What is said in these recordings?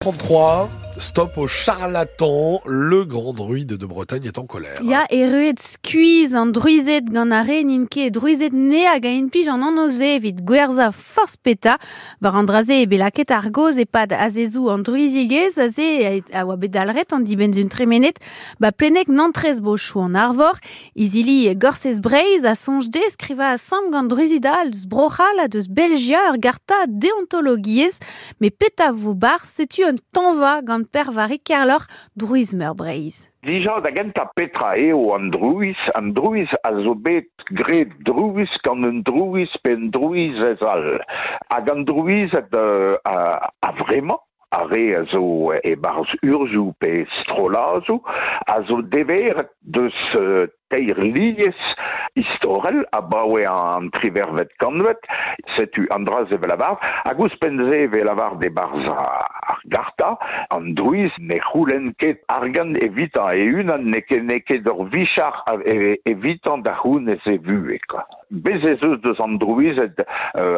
33, stop aux charlatans, le grand druide de Bretagne est en colère. Ya erruet skuizh an drouized gant ar re n'int ket drouized ne hag a implij an anv-se evit gwerzhañ forzh petra. War an dra-se eo bet lakaet ar gaoz e-pad azezoù an drouizigezh aze a oa bet dalc'het an dibenn-sizhun tremenet ba pleneg Nantrez-Bochoù an Arvor. Izili Gorsez Breizh a soñj dezhe skrivañ asambl gant drouizid all deus Bro-C'hall ha deus Belgia ur garta deontologiezh. Met petra vo 'barzh setu un tañva gant Per-Vari Kerloc'h, drouiz meur Breizh. Dija da gentañ petra eo an drouiz? An drouiz a zo bet graet drouiz gant un drouiz pe un drouizez all. Hag an drouized a-vremañ, ar re a zo e-barzh urzhioù pe strolladoù, a zo deveret deus teir lignez istorel abaoe an triwec'hvet kantved, setu an dra-se 'vel lavar, hag ouzhpenn-se e vez lavaret e-barzh ar garta, an drouiz ne c'houlenn ket argant evitañ e-unan, n'eo ket n'eo ket ur vicher evitañ da c'hounez e vuhez kwa. Bez' ez eus deus an drouized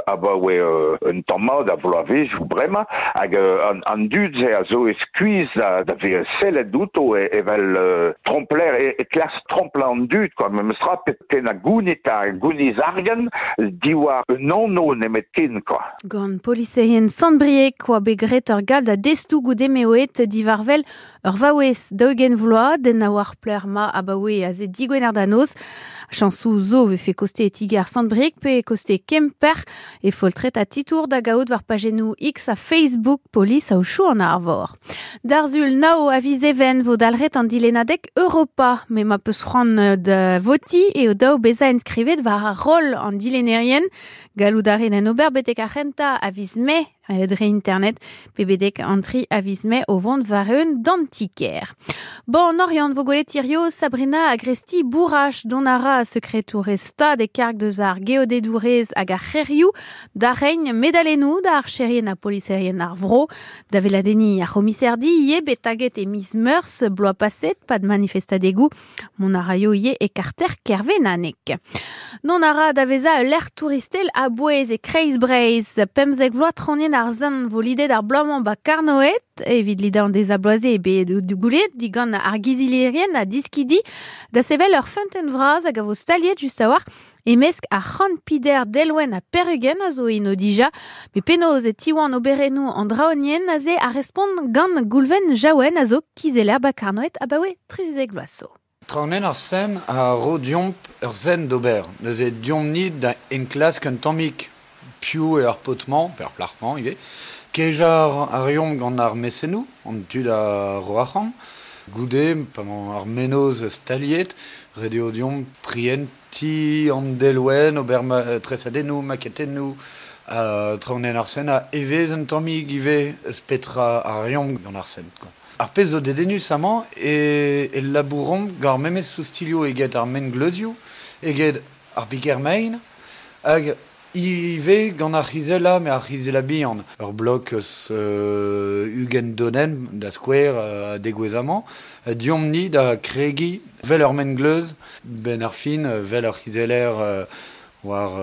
abaoe un tamm mat a vloavezhioù bremañ hag an dud-se a zo e skuizh da vezañ sellet outo evel trompler e klask tromplañ an dud kwa memestra tennañ gounid ha gouniz argant diwar un anv nemetken kwa. Gant poliserien Sant-Brieg oa bet graet ur galv da destoù goude m'eo aet diwar-wel Ur vaouez 40 vloaz, den a oar plec'h 'ma abaoe aze digwener da noz. Chañsoù zo 'vefe koste ti-gar Sant-Brieg pe koste Kemper. E foltred ha titour da gaout war pajennoù X ha Facebook polis Aochou an Arvor. D'ar Sul nav a viz Even 'vo dalc'het an dilennadeg Europa. Met ma peus c'hoant da votiñ eo dav bezañ enskrivet war ar roll an dilennerien. Gallout a rit en ober betek ar c'hentañ a viz Mae. Dre internet pe betek an tri a viz Mae o vont war-eeun d'an ti-kêr. Bon, en Oriant vo gwelet hirio Sabrina Agresti Bourrach dont a ra sekretourez stad e karg deus ar geodedourez hag ar c'hêrioù da reiñ medalennoù da archerien ha poliserien ar vro. Da weladenniñ ar c'homiserdi ivez bet taget e miz Meurzh bloaz paset pad manifestadegoù. Mont a raio ivez e karter Kervenaneg. Dont a ra da vezañ ul lec'h touristel a-bouez e kreiz Breizh. 15 vloaz traoñienn ar Sent vo lidet ar bloaz-mañ ba Karnoed. Evit lidañ an deiz-ha-bloaz eo bet goulennet digant ar gizilierien ha diskidi da sevel ur feunteun vras hag a vo staliet just a-walc'h E-mesk ar c'hant pider delwenn ha perugenn a zo eno dija, met penaos e tiwan oberennoù an draonienn aze a respont gant Goulven Jaouen a zo kizeller ba Karnoed abaoe 13 vloaz zo. Traoñienn ar Sen a ro deomp ur senn d'ober. Neuze deomp-ni da enklask un tammig piv eo ar paotr-mañ, pe ar plac'h-mañ ivez. Kejañ a reomp gant ar mesennoù, an tud a ro arc'hant. Goude, pa emañ ar mennozh staliet, ret eo deomp prientiñ Ti an delwenn, ober tresadennoù, maketennoù, traoñienn ar Sen a evezh un tammig ivez eus petra a reomp gant ar Sen. Ar pezh zo dedennus amañ eo e labouromp gant ar memes oustilhoù eget ar mengleuzioù, eget ar piker-mein, hag ivez gant ar c'hizellañ, met ar c'hizellañ bihan. Ur blok eus 20 donenn, da skouer, a degouezh amañ. Deomp-ni da kregiñ 'vel ur mengleuz, 'benn ar fin, 'vel ur c'hizeller war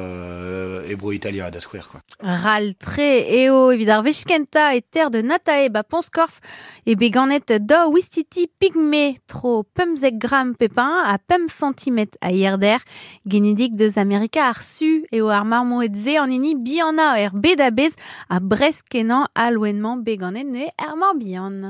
e bro Italia, da skouer. Quoi. Ral-tre eo evit ar wech kentañ e ter de Natae ba Pont-Skorf eo bet ganet daou wistiti pigme tro 15 gramm pep un ha 5 santimetr a hirder. Genidik deus Amerika ar Su eo ar marmoed-se an hini bihanañ er bed a-bezh ha bresk-kenañ al loen-mañ bet ganet neuze er Morbihan.